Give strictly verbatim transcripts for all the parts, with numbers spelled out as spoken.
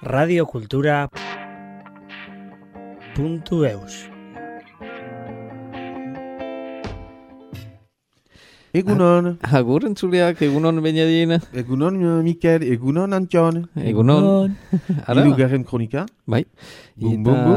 radiokultura puntu eus. Egunon. Agur entzuleak, egunon Benjadin. Egunon Mikel, egunon Antion. Egunon. Hirugarren kronika. Bai. Bum, bum, bum.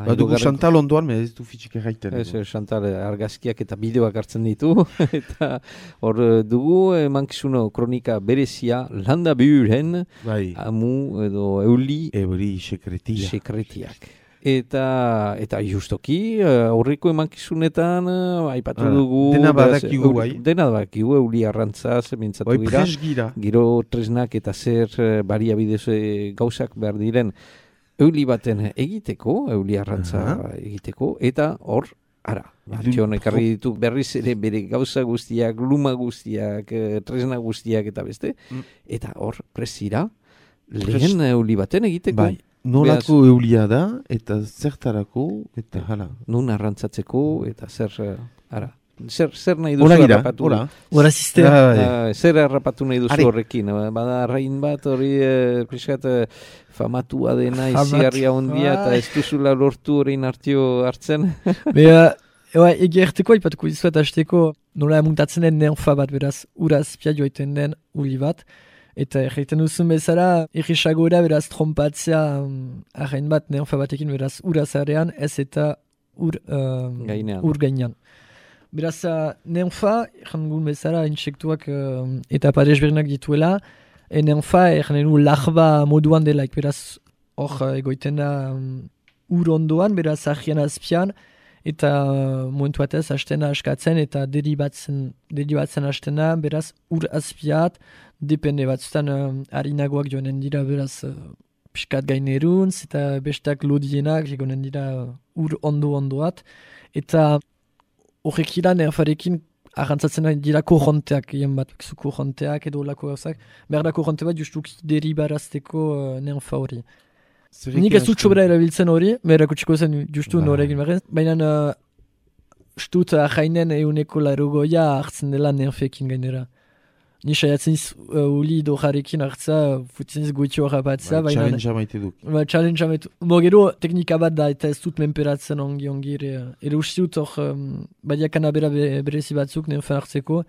Badugu Chantal ondoan, me ez du fitxik erraiten. Ez, Chantal argazkiak eta bideoak hartzen ditu. Eta hor dugu emankizuno kronika berezia landa bihuren. Bai. Amu edo euli. Euli sekretia. Sekretiak. Eta eta justoki aurreko emankizunetan uh, aipatu ah, dugu dena badakigu bai. Dena badakigu euli arrantzaz mintzatu bai, gira. gira. Giro tresnak eta zer uh, baliabidez gauzak behar diren euli baten egiteko, euli arrantza uh-huh. egiteko, eta hor, ara, Antion ekarri ditu berriz ere bere gauza guztiak, luma guztiak, tresna guztiak eta beste, mm. eta hor, presira, lehen Pres... euli baten egiteko. Bai. Nolako Beaz, eulia da, eta zertarako, eta hala. Nun arrantzatzeko, eta zer, ara, zer, zer nahi duzu gira, harrapatu? Hora, gira. Ziste. Uh, zer harrapatu nahi duzu horrekin? Bada arrain bat hori, eh, piskat, famatua dena, izigarria ondia, eta ez duzula lortu horrein hartio hartzen. Bea, eba, egerteko, ipatuko izuet hasteko, nola muntatzen den neonfa bat, beraz, uraz pia joiten den uli bat, eta erraiten duzun bezala, irrisagora beraz trompatzea um, arrain bat neonfa batekin beraz urazarean, ez eta ur, uh, gainean. ur gainean. Beraz uh, neonfa, errangun bezala, insektuak uh, eta paresbernak dituela, e neonfa erranen du larba moduan delaik, beraz hor uh, egoiten da um, ur ondoan, beraz argian azpian, eta uh, momentu batez hastena askatzen, eta deribatzen, deribatzen hastena, beraz ur azpiat, depende batzutan uh, harinagoak joanen dira beraz uh, piskat gaineruntz eta bestak lodienak joanen dira uh, ur ondo ondoat eta horrek ilan erfarekin arrantzatzen dira korronteak egin bat, korronteak edo lako gauzak, behar da korronte bat justuk deribarazteko uh, neonfa hori. Nik ez dut sobera erabiltzen hori, behar akutsiko zen justu ba. Noregin behar, baina uh, stut ahainen euneko larogoia hartzen dela neonfekin gainera. Ni saiatzen iz uh, uli dojarekin hartza, futzen iz goitio harrapatzea. Ba, challenge amaite duk. Ba, challenge amaite. Bo, gero teknika bat da eta ez dut menperatzen ongi ongi ere. Ere usti dut hor, um, badia kanabera be, berezi batzuk, neonfan hartzeko.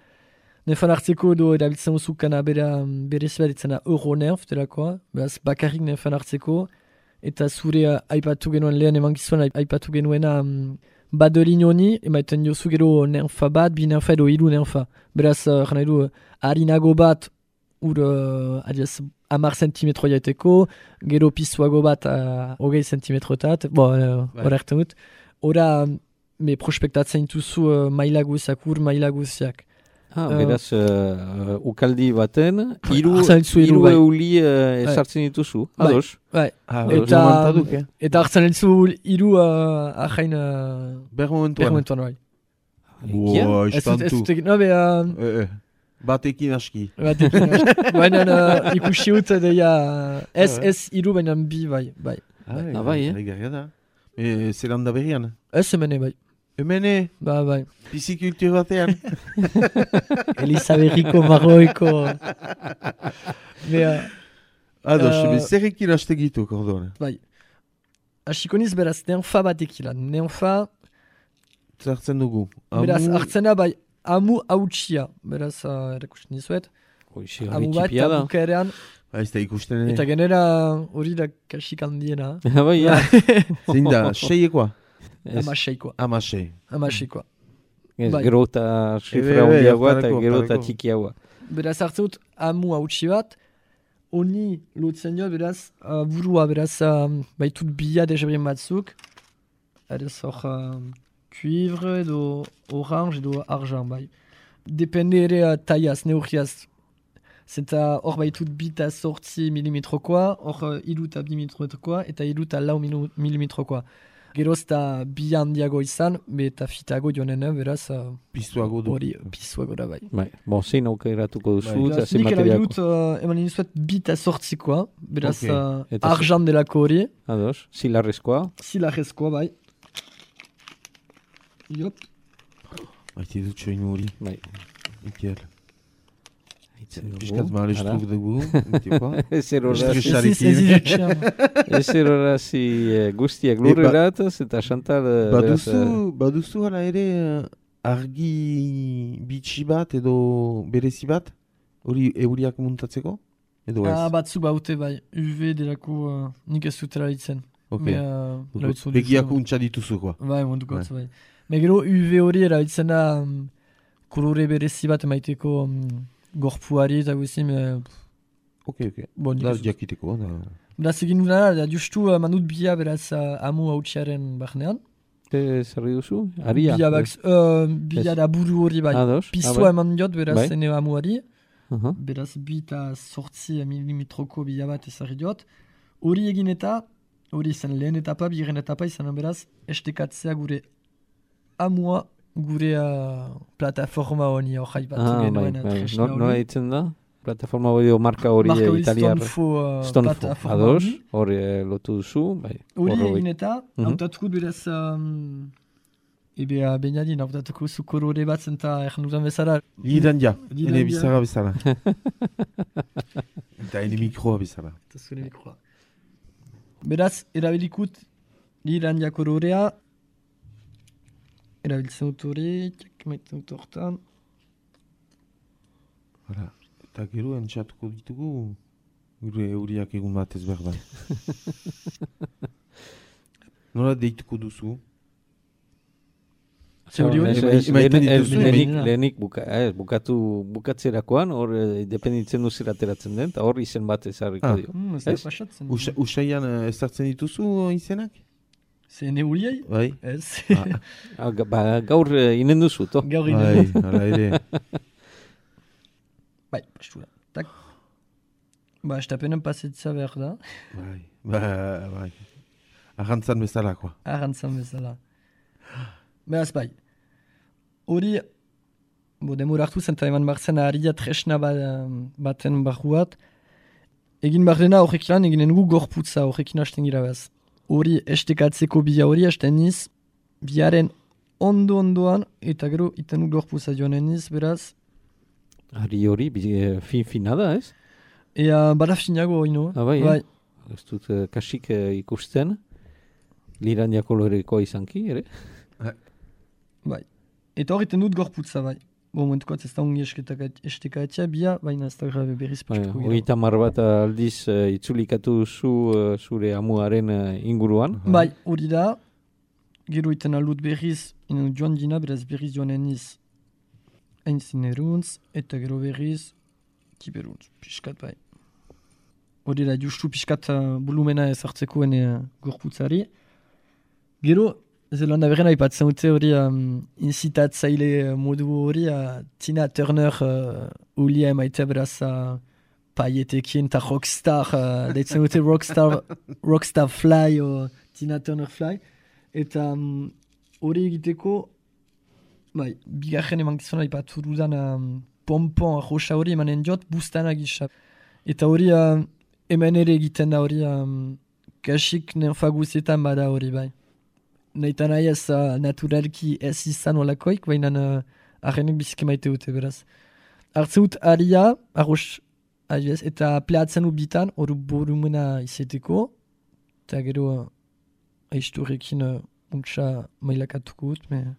Neonfan hartzeko edo erabiltzen duzu kanabera berezi bat ditzena Euronerf, delakoa. Beraz, bakarrik neonfan hartzeko. Eta zure uh, aipatu genuen lehen emankizuan aipatu genuena um, badolin honi, emaiten jozu gero neonfa bat, bi neonfa edo hiru neonfa. Beraz, uh, jana edu, harinago bat ur uh, adiaz, amar sentimetro jaiteko, gero pisuago bat uh, hogei sentimetrotat, bo, hor uh, erten dut. Hora, me prospektatzen duzu uh, maila guziak, ur maila guziak. Ah, uh, beraz, uh, ukaldi baten, hiru bai. euli uh, esartzen dituzu, ados? Bai, ah, eta, duk, eh? eta hartzen ditzu hiru uh, ahain uh, bermomentuan. Bai. Wow, istantu. No, be, uh, eh, eh. Batekin aski. Batekin aski. Baina uh, ikusi ut deia ez ez hiru baina bi bai. bai. Ah, bai, eh? Egarria da. E, zelan da berrian? Ez emene bai. Emene? Ba, bai. Pisikultur batean? Elizaberriko marroiko. Bea. Ados, uh, zerrekin hastegitu, kordone? Bai. Asikoniz beraz, neonfa batekilan. Neonfa... Zertzen dugu. Amu... Beraz, hartzena bai, amu hautsia. Beraz, uh, erakusten dizuet. Oixi, amu bat, eta bukaerean. Ba, ez da ikusten. Eta genera hori da kasik handiena. Bai, ja. Zein da, seiekoa? Amaseikoa. Amasei. Amaseikoa. Bai. Gero eta sifra hondiagoa eta gero eta txikiagoa. Beraz, hartzen dut, amu hautsi bat, honi lotzen jo, beraz, uh, burua, beraz, um, baitut bila dejabrien batzuk. Adez hor, uh, cuivre edo orange edo argent, bai. Depende ere uh, taiaz, neurriaz. Zeta hor baitut bita sortzi milimetrokoa, hor uh, iruta bi milimetrokoa, eta iruta lau milimetrokoa. Geroz eta bi handiago izan, be eta fitago joanen, beraz... Uh, Piztuago du. Hori, piztuago da, bai. Bai, bon, zein aukeratuko duzu, bai. eta zein materiako. Nik erabilut, uh, eman inizuet bita sortzikoa, beraz okay. uh, argent delako hori. Ados, zilarrezkoa. Zilarrezkoa, bai. Jop. Baiti dut soinu hori. Bai. Mikel. Piskat malestruk dugu. Ez erorasi guztiak lurrerataz eta Chantal... Baduzu hala ere argi bitxi bat edo berezi bat? Hori euriak muntatzeko? Edo ez? Batzu baute bai, U V delako nik ez dutela ditzen. Begiak untsa dituzukoa. Bai, muntukotz bai. Megero U V hori erabiltzen da kolore berezi bat emaiteko gorpuari eta guzim... Ok, ok. Da jakiteko. Beraz egin dudana, da justu manut bia beraz amu hautsiaren barnean. Zerri duzu? Aria? Bia da buru hori bai. Piztua eman diot beraz ene amuari. Beraz bi eta sortzi milimetroko bia bat ezarri diot. Hori egin eta, hori izan lehen etapa, bigarren etapa izan beraz, estekatzea gure amua gure uh, plataforma honi hori bat genuen. Nola ditzen da? Plataforma hori o marka hori italiar? Stonefo. Ados, hori lotu duzu. Hori egin eta, hautatuko beraz, ebe bainadin, hautatuko zukoro hori bat zenta egin dudan bezala. Lidan ja, ene bizarra bezala. Eta ene mikroa bezala. Eta zure mikroa. Beraz, erabilikut lidan ja kororea, erabiltzen dut hori, maiten dut hortan. Hala, eta gero entxatuko ditugu, gure euriak egun batez behar da. Nola deituko duzu? Lehenik bukatzerakoan, hor dependitzen duzera ateratzen den, eta hor izen bat ezarriko dio. Usaian ezartzen dituzu izenak? Zen euliai? Bai. Ez. Gaur inen duzu, to? Gaur inen duzu. Bai, hala ere. Bai, pastura. Tak. Ba, estapenen pasetza behar da. Bai, bai. Arrantzan bezalakoa. Arrantzan bezala. Beraz, bai. Hori, bo, demur hartu zen, eta eman barzen aharia tresna baten barruat. Egin bardena horrek lan, eginen gu gorputza horrekin hasten gira behaz. Hori estekatzeko bia hori hasten niz, biaren ondo-ondoan, eta gero iten gu gorputza joanen niz, beraz. Hari hori, fin-fina da, ez? Ea, bada finago hori, no? Ah, bai, bai. Ez dut kasik ikusten, liran jakoloreko izanki, ere? Bai. Eta hori iten dut gorputza, bai. Bo, momentuko ez da ungi estekatzea, bia, baina ez da grabe berriz pixko gira. Hori tamar bat aldiz uh, itzulikatu zu uh, zure amuaren uh, inguruan. Bai, hori da, gero iten alut berriz, inen joan dina, beraz berriz joan eniz einzin eruntz, eta gero berriz kiberuntz, pixkat bai. Hori da, justu pixkat uh, volumena ezartzeko ene uh, gorputzari. Gero, Zelanda berren haipatzen dute hori um, inzitatzaile modu hori uh, Tina Turner uh, ulia emaitea beraz uh, paietekin eta rockstar, uh, deitzen dute rockstar, rockstar fly o Tina Turner fly. Eta hori um, egiteko, bai, bigarren eman gizona haipatu dudan um, pompon roxa hori emanen diot bustana gisa. Eta hori uh, hemen ere egiten da hori um, kasik nenfaguzetan bada hori bai. Naita nahi ez uh, naturalki ez izan olakoik, baina uh, arrenek biziki maite dute beraz. Hartzen dut aria, arroz, adiez, eta pleatzen dut bitan, hori borumena izeteko, eta gero uh, aizturrekin uh, untsa mailakatuko dut, me...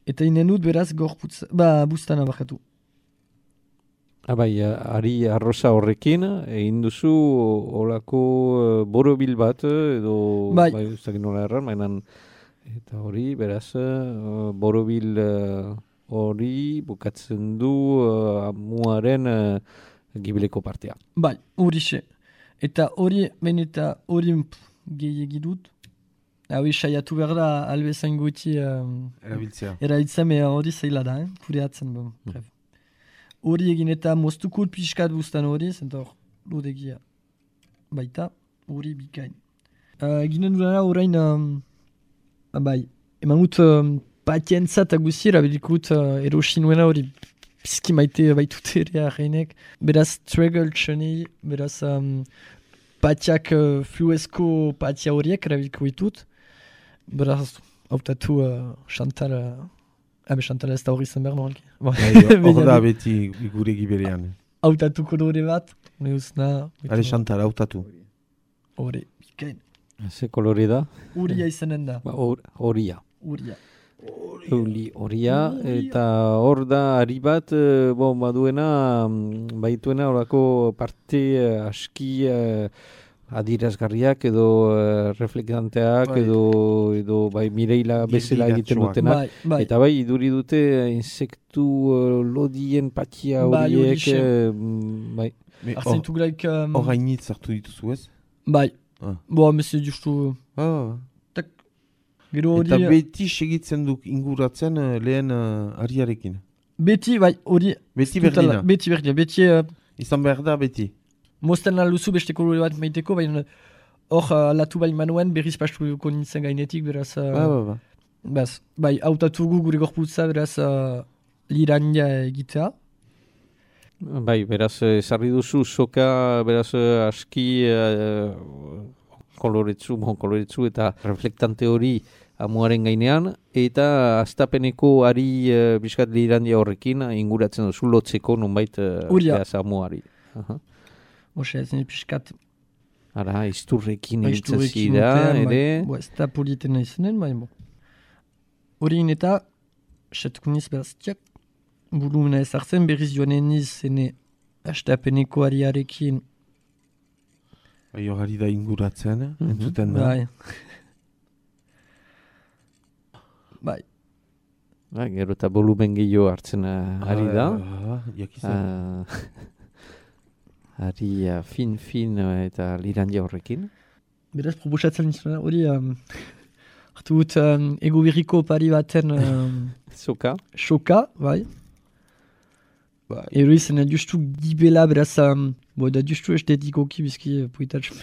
eta inen dut beraz gorputz, ba, bustana bakatu. Abai, ari arroza horrekin, egin duzu olako uh, borobil bat, edo... Bai. Bai, ez dakit nola erran, mainan... Eta hori, beraz, uh, borobil hori uh, bukatzen du uh, amuaren uh, gibileko partea. Bai, hori xe. Eta hori, ben eta hori gehiagi dut. Hau saiatu behar da, albezain guti um, erabiltzea. Erabiltzea, mea hori zaila da, eh? Kureatzen. Bon. Mm. Hori egin eta moztuko pixkat bustan hori, zenta hor, lodegia. Baita, hori bikain. Uh, Ginen dudana horrein... Um, Bai, eman gut um, patientza eta guzi erabilikut uh, erosinuena hori pizki maite baitute ere arreinek. Beraz, struggle txoni, beraz, um, patiak uh, fluesko patia horiek erabiliko ditut. Beraz, hautatu uh, Chantal, uh, abe Chantal ez da hori zen behar normalki. Hor da beti gure giberian. hautatu kolore bat, neuzna. Ale Chantal, hautatu. Hore, bikain. Ze kolore da? Uria izanen da. Ba, hor- Horia. Uria. Euli horia, Horia. eta hor da ari bat, eh, bon, baduena, mm, baituena horako parte eh, aski eh, adirazgarriak edo eh, reflektanteak Bai. edo, edo bai Mireila bezala egiten Gildiratsuak. dutenak. Bai, bai. Eta bai, iduri dute eh, insektu eh, lodien patia Bai, horiek, horixe. eh, mm, bai. Me hor- Arzentu gulaik... Um, hor hainitz hartu dituzu ez? bai. Ah. Boa, mesio justu... Ah. Gero hori... Eta beti segitzen duk inguratzen eh, lehen uh, ariarekin. Beti, bai, hori... Beti Totala, berdina. Beti berdina. Beti... Uh, Izan behar da beti. Mozten alduzu beste kolore bat maiteko, baina hor uh, alatu bai manuen berriz pastuko nintzen gainetik, beraz... Uh, Ba, ba, ba. Baz, bai, hautatugu gure gorputza, beraz, uh, lirania egitea. Bai, beraz, ezarri duzu soka, beraz, eh, aski eh, koloretsu, bon, koloretsu eta reflektante hori amuaren gainean, eta astapeneko ari uh, biskat lirandia horrekin inguratzen duzu lotzeko nonbait uh, Uria. beraz amuari. Aha. Oxe, ez nire pixkat... Ara, izturrekin ibiltzen Aizturekin zira, urtean, bai. ere. Bo, ez da politena izanen, bai, bo. Horien eta, satuko niz beraz, tiak, volumena ez hartzen, berriz joanen niz, zene, astapeneko ariarekin, Bai, hor ari da inguratzen, Mhm. entzuten da. bai. Bai, Ba, gero eta volumen gehiago hartzen uh, ari da. Ah, jakizan. Ah, ari uh, fin-fin uh, eta lirandia horrekin. beraz, proposatzen nizuna, hori, um, hartu gut, um, ego berriko pari baten um, Soka. soka, bai. Bai. Ero izan, justu gibela, beraz, um, bo, da justu estetikoki, bizki, poitatxo.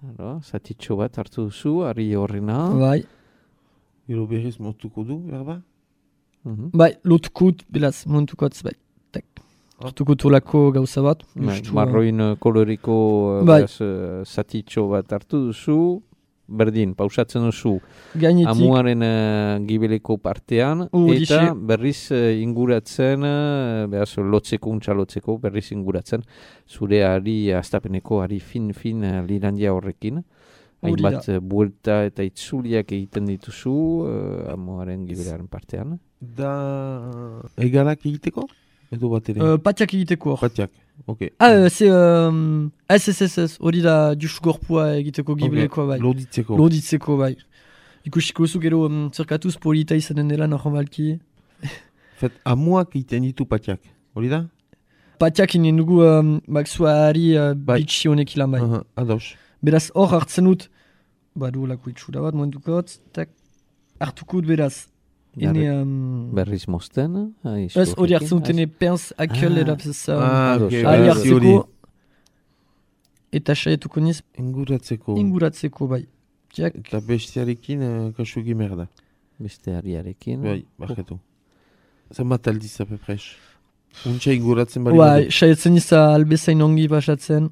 Aro, zatitxo bat hartu duzu, ari horrena. Bai. Gero berriz moztuko du, berba? Mhm. Bai, lotukut, beraz, montukotz, bai. Tak. Hartukut olako gauza bat. Bai, justu, marroin uh, koloriko uh, Bai. beraz, uh, zatitxo bat hartu duzu, berdin, pausatzen duzu Gainetik, amuaren uh, gibeleko partean, Horixe. eta berriz uh, inguratzen, uh, beraz, lotzeko, untxa lotzeko, berriz inguratzen, zure ari, astapeneko ari fin-fin uh, lirandia horrekin. Hori Hainbat uh, buelta eta itzuliak egiten dituzu uh, amuaren gibelearen partean. Da egalak egiteko? Edo bat ere? uh, patiak egiteko hor. Patiak, ok. Ah, uh, ze, um, ez, ez, ez, ez, hori da justu gorpua egiteko gibelekoa, bai. Loditzeko. Loditzeko, bai. Ikusiko zu gero um, zerkatuz polita izanen dela normalki. Fet, amuak egiten ditu patiak, hori da? Patiak inen dugu um, baksua ari uh, Bai. bitxi honek ilan bai. Aha, ados. Beraz hor hartzen dut, badu lako itxura bat, momentukot, tak, hartukut beraz. Ene, um, Berriz mozten. ah, ez hori izturrekin. hartzen dut, ene pens akel Ah. erapzez. Um, Ah, ados. ok, ari beraz, hori. hartzeko, eta saietuko niz, Inguratzeko. inguratzeko bai. Tiak, Eta bestiarekin uh, kasu gimer da. Beste ariarekin. Bai, barkatu. Zenbat aldiz apepres. Untxa inguratzen bari bai, saietzen niz albezain ongi basatzen.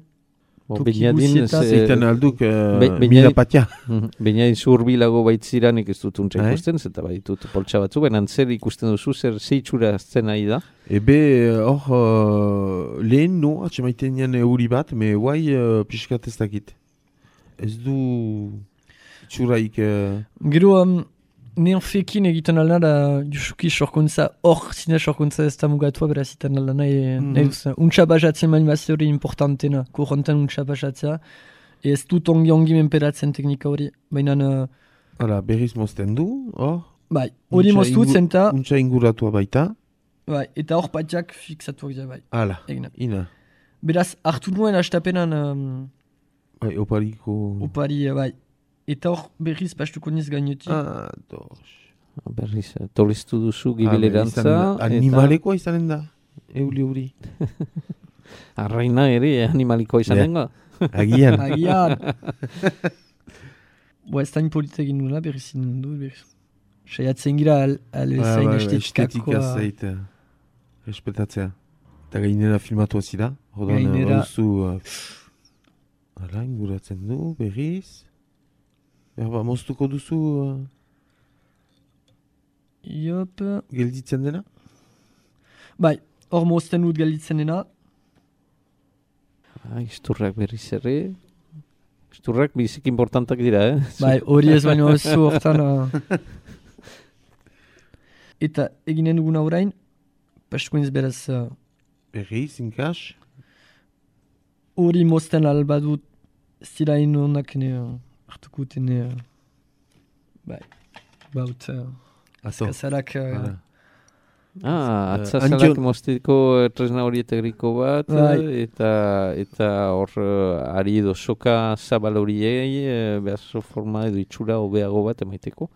Bo, Toki Beñadin, guztietan. ze- Zeiten alduk uh, Be- Beñadin- mila patia. Mhm. Beñadin zurbilago baitziranik ez dut untsa Bai. ikusten, zeta baitut poltsa batzu, baina zer ikusten duzu, zer zeitxura azten nahi da. Ebe, hor, uh, lehen no, atxemaiten nian euri bat, me guai uh, pixkat ez dakit. Ez du txuraik... Uh, Gero, um, neon fekin egiten alna da, justuki sorkuntza, hor zine sorkuntza ez da mugatua, beraz iten alna nahi, Mhm. nahi duzen. Untsa basatzen mani bazte hori importantena, korronten untsa basatzea. Ez dut ongi ongi menperatzen teknika hori, baina, uh, Hala, berriz mozten du, hor. bai, hori Untxa moztu ingu- zenta, Untxa inguratua baita. bai, eta hor patiak fixatuak dira, bai, Hala, egina. ina. Beraz, hartu nuen astapenan um, Bai, opariko... opari, uh, bai. Eta hor berriz pastuko niz gainetik. Ah, dos. Berriz, eh, tolestu duzu Ah, gibelerantza. izan- Animalekoa izanen da, euli hori. Arraina ere animalikoa izanen ga. Agian. Agian. Boa, ez da impolita egin nula, berriz inen du, berriz. Saiatzen gira al, al Ba, zain ba, estetika estetika zait, eh, respetatzea. Eta gainera filmatu zida. Rodan, Gainera- baduzu... Uh, Hala, inguratzen du, berriz. Berba, moztuko duzu uh, Iop. gelditzen dena? Bai, hor mozten dut gelditzen dena. Ah, isturrak berriz ere. Isturrak bizik importantak dira, eh? Bai, hori ez baino ez zu hortan. Uh... Eta eginen duguna orain, paskoinz beraz... Uh... Berriz, inkas? Hori mozten albadut zirain honak ne uh, hartuko tene... Uh... Bai, baut... Uh... Azkazarak... Uh... Ah, atzazalak uh, mosteko tresna horietegriko bat, right. eta eta hor uh, ari edo soka zabal horiei, uh, behazo forma edo itxura hobeago bat emaiteko.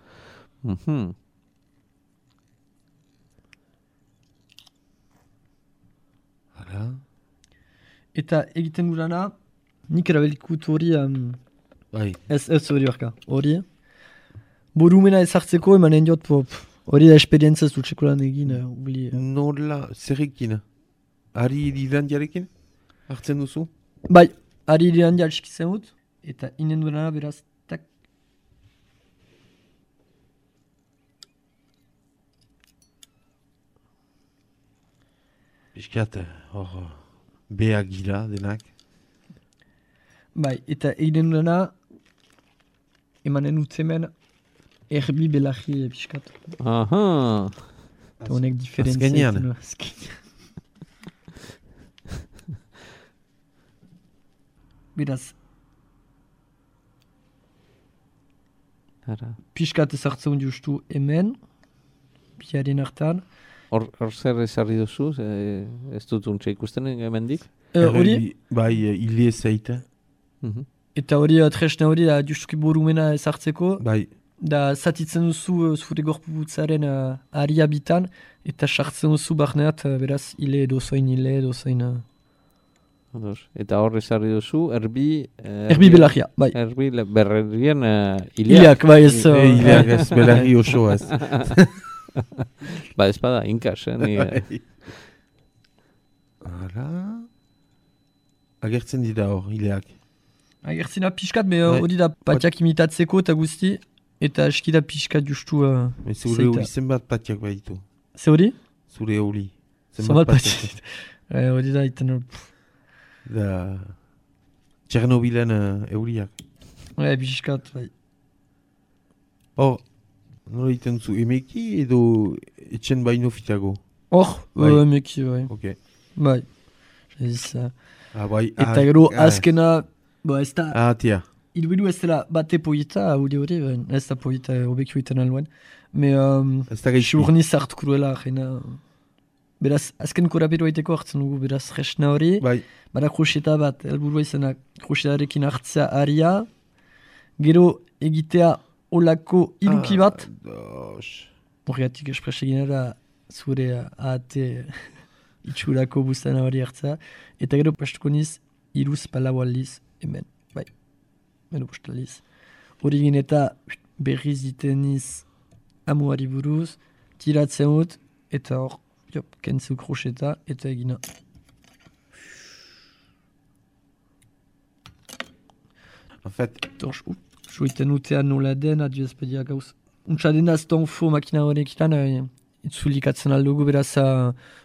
Mm-hmm. Hala. Eta egiten durana, nik erabelikut hori, um, bai. ez ez hori barka, hori. Borumena ezartzeko emanen diot pop. Hori da esperientzia ez dutxeko lan egin, ubli. Nola, zerrekin? Ari irandiarekin? Hartzen duzu? Bai, ari irandia alskitzen dut, eta inen duena beraz, tak. Piskat, hor, beha gira denak. Bai, eta egiten duena, emanen utzemen, erbi belaji piskat. Aha. Eta honek diferentzia. Azkenean. Beraz. Ara. Piskat ezartzen justu hemen, biaren hartan. Hor zer ezarri duzu, ez dut untxe ikusten hemendik? Hori? Bai, hile zeite. Eta hori, tresna hori, da justuki borumena ezartzeko. Bai. Da zatitzen duzu zure gorputzaren uh, aria bitan, eta sartzen duzu barneat, uh, beraz, hile dozoin, hile dozoin. Uh... Eta hor ezarri duzu, erbi... Uh, erbi belagia, bai. Erbi berrien uh, hileak. Hileak, bai ez... Uh, e, hileak ez, belagi oso ez. Ba ez bada, inkas, eh? Ni, Hala... Agertzen dira hor, hileak. Agertzen da pixkat, me hori da patiak imitatzeko eta guzti, eta eskida pixkat justu... Uh, zure hori zenbat patiak baitu. Ze hori? Zure hori. Zenbat patiak. Hori da iten... Da... Txernobilen uh, euriak. Bai, pixkat, bai. Hor, nola iten zu, emeki edo etxen baino fitago? Hor, bai. Emeki, bai. Ok. Bai. Ez, uh, ah, bai. Eta ah, gero, ah, azkena... Bo, ez da... Ah, tia. Idu ez dela bate poita, hori hori, ez da poita obekio iten aluen. Me, um, ez da gaitxi. Xurniz hartu kruela, jena... Beraz, azken korapero aiteko hartzen dugu, beraz, resna hori. Bai. Bada kroseta bat, elburua izena krosetarekin hartzea aria. Gero, egitea olako iruki bat. Ah, horregatik espresa ginera, zure ahate itxurako buztana hori hartzea. Eta gero, pastuko niz, iruz palau aldiz, hemen. Bai. Meno postaliz. Hori gine eta berriz diteniz amuari buruz, tiratzen dut, eta hor, jop, kentzu kroseta, eta egina. En fait... Torx, joiten utean nola den, adio ezpedia gauz. Untsa dena azton fo makina horrekitan, itzulikatzen aldugu, beraz,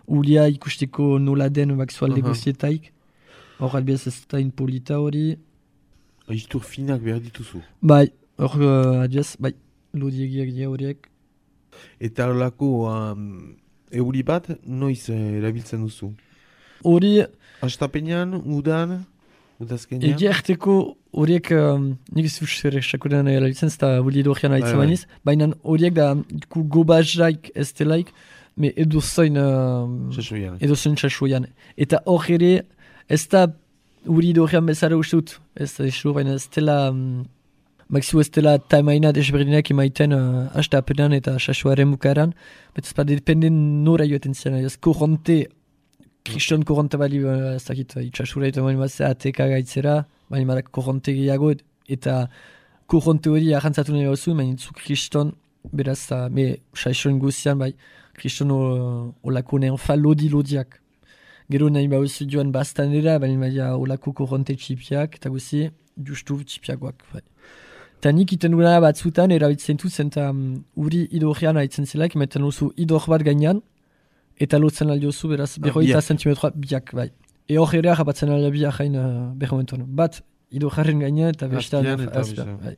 ulia ikusteko nola den bakzualde uh-huh. Gozietaik. Hor, albiaz ez da inpolita hori. Aiztur finak behar dituzu. Bai, hor uh, adiaz, bai, lodiegiak dira horiek. Eta horlako um, euri bat, noiz eh, erabiltzen duzu? Hori... Astapenean, udan, udazkenean? Egia erteko horiek, um, nik ez dut sakorean erabiltzen, ez da hori edorrean haitzen bainiz, baina horiek da ku gobazaik ez delaik, me edozoin... Uh, edozoin txasoian. Eta hor ere, ez da... Uri dorean bezala uste dut, ez da esur, baina ez dela, um, Maxiu ez dela taimaina desberdinak emaiten uh, hasta apenan eta sasoaren bukaran, bet ez pa dependen nora joeten ziren, ez korronte, kriston korronte bali, ez dakit, itxasura eta bali mazera ateka gaitzera, bali marak korronte gehiago, eta korronte hori ahantzatu nahi hauzu, baina itzu kriston, beraz, uh, me sasoen guzian, bai, kriston olako nean fa lodi-lodiak. Gero nahi bauzu joan bastanera, baina maia olako korronte txipiak, eta guzi, justu txipiakoak. Bai. Eta nik iten duena batzutan, erabitzen dut, zenta um, uri idorrean haitzen zelaik, ematen duzu idor bat gainean, eta lotzen aldiozu, beraz, berroita biak. zentimetroa biak, bai. E hor ere japatzen alda biak hain uh, berromentuan. Bat, ido jarren gaine eta beste Azpian alda. eta azpian, beste. bai.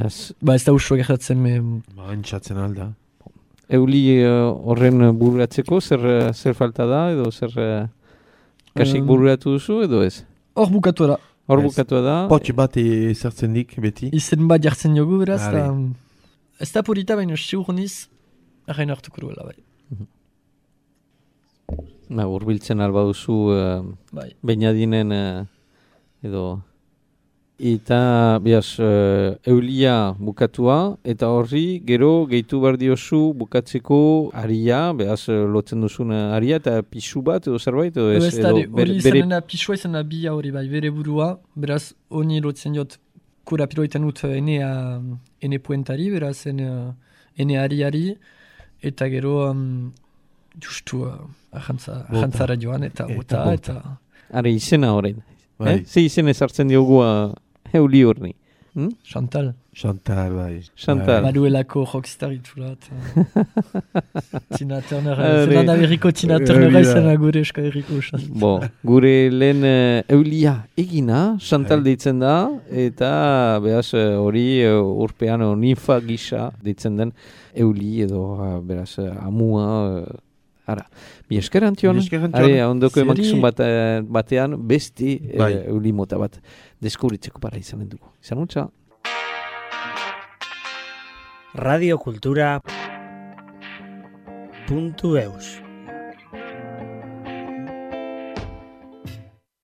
Yes. Ba, ez da usua gertatzen, me... Ba, entxatzen alda. Euli uh, horren bururatzeko zer, uh, zer falta da, edo zer uh, kasik Um, bururatu duzu, edo ez? Hor bukatu da. Hor Ez. bukatua da. Potx bat ezartzen dik, beti. Izen bat jartzen jogu, beraz, Are. eta... Ez da polita, baina sigur niz, hain hartuko duela, bai. Na, urbiltzen alba duzu uh, Bai. Beñadinen uh, edo eta biaz uh, eulia bukatua eta horri gero gehitu behar diozu bukatzeko aria, beaz uh, lotzen duzun uh, aria eta pisu bat edo zerbait edo ez, Ez da, edo hori izanena pisua izan da bia hori bai, bere burua, beraz, honi lotzen jot kurapiroetan ut enea, ene puentari, beraz, ene, ene ariari, eta gero, um, justu, uh, ahantza, Bota. ahantzara joan, eta Eta bota, bota. eta... are izena horrein. Bai. Eh? Ze izen ezartzen diogu uh, euli horni. Hm? Chantal. Chantal, bai. Chantal. Bai. Baduelako rockstar itula, eta... Tina Turner, Are. zelan Ameriko Tina Hori Turner da. izan gure eska erriko Chantal. Bo, gure lehen uh, eulia egina, Chantal Bai. deitzen da, eta beraz uh, hori uh, urpean uh, ninfa gisa deitzen den euli edo uh, beraz uh, amua, uh, ara. Mi esker Antion, Mi esker, Antion. are ondoko Zeri. emankizun bat, uh, batean besti uh, Bai. euli mota bat deskubritzeko para izanen dugu. Izan utza. radiokultura puntu eus